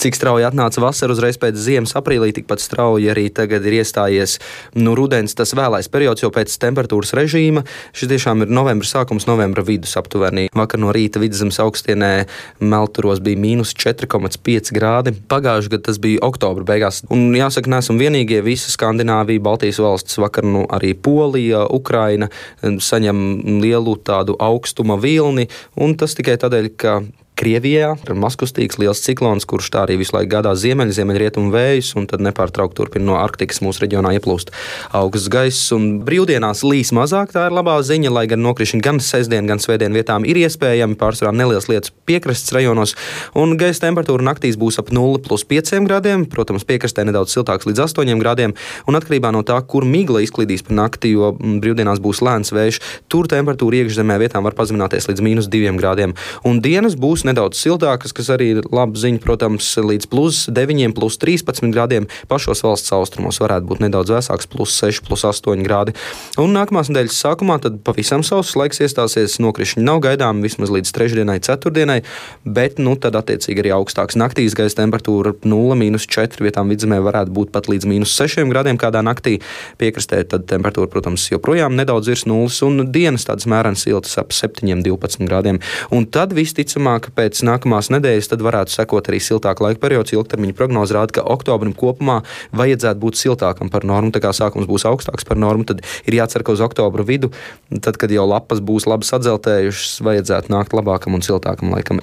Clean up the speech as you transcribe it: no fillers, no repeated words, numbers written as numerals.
Cik strauji atnāca vasara uzreiz pēc ziemas aprīlī, tikpat strauji arī tagad ir iestājies rudens, tas vēlais periods, jo pēc temperatūras režīma šis tiešām ir novembra sākums, novembra vidus aptuveni. Vakar no rīta Vidzemes augstienē Melturos bija -4,5 grādi. Pagājuši gadu tas bija oktobra beigās. Un jāsaka, neesam vienīgie, visa Skandināvija, Baltijas valstis, vakar arī Polija, Ukraina saņem lielu tādu augstuma vilni, un tas tikai tādēļ, ka Krievijā ir mazkustīgs liels ciklons, kurš tā arī visu laiku gādā ziemeļrietumu vējus, un tad nepārtraukti turpina no Arktikas mūsu reģionā ieplūst augsts gaiss. Un brīvdienās līs mazāk, tā ir labā ziņa, lai gan nokrišņi gan sestdien, gan svētdien vietām ir iespējami, pārsvarā nelielas lietas piekrastes rajonos, un gaisa temperatūra naktīs būs ap 0,5 grādiem, protams, piekrastē nedaudz siltāks līdz 8 grādiem, un atkarībā no tā, kur migla izklīdīs pa nakti, jo brīvdienās būs lēns vējš, tur temperatūra iekšzemē vietām var pazemināties līdz -2 grādiem, un dienas būs nedaudz siltākas, kas arī ir laba ziņa, protams, līdz +9, +13 grādiem. Pašos valsts austrumos varētu būt nedaudz vēsāks, +6, +8 grādi. Un nākamās nedēļas sākumā tad pavisam sauss laiks iestāsies, nokrišņi nav gaidām vismaz līdz trešdienai, ceturtdienai, bet tad attiecīgi arī augstāks naktīs gaisa temperatūra 0,-4 vietām Vidzemē varētu būt pat līdz -6 grādiem kādā naktī. Piekrastē tad temperatūra, protams, joprojām nedaudz virs nulles, un dienas tādas mērenas siltas ap 7-12 grādiem. Un tad visticamāk, pēc nākamās nedēļas tad varētu sekot arī siltāka laika periods. Ilgtermiņa prognoze rāda, ka oktobrim kopumā vajadzētu būt siltākam par normu. Tā kā sākums būs augstāks par normu, tad ir jācer, ka uz oktobra vidu, tad, kad jau lapas būs labi sadzeltējušas, vajadzētu nākt labākam un siltākam laikam.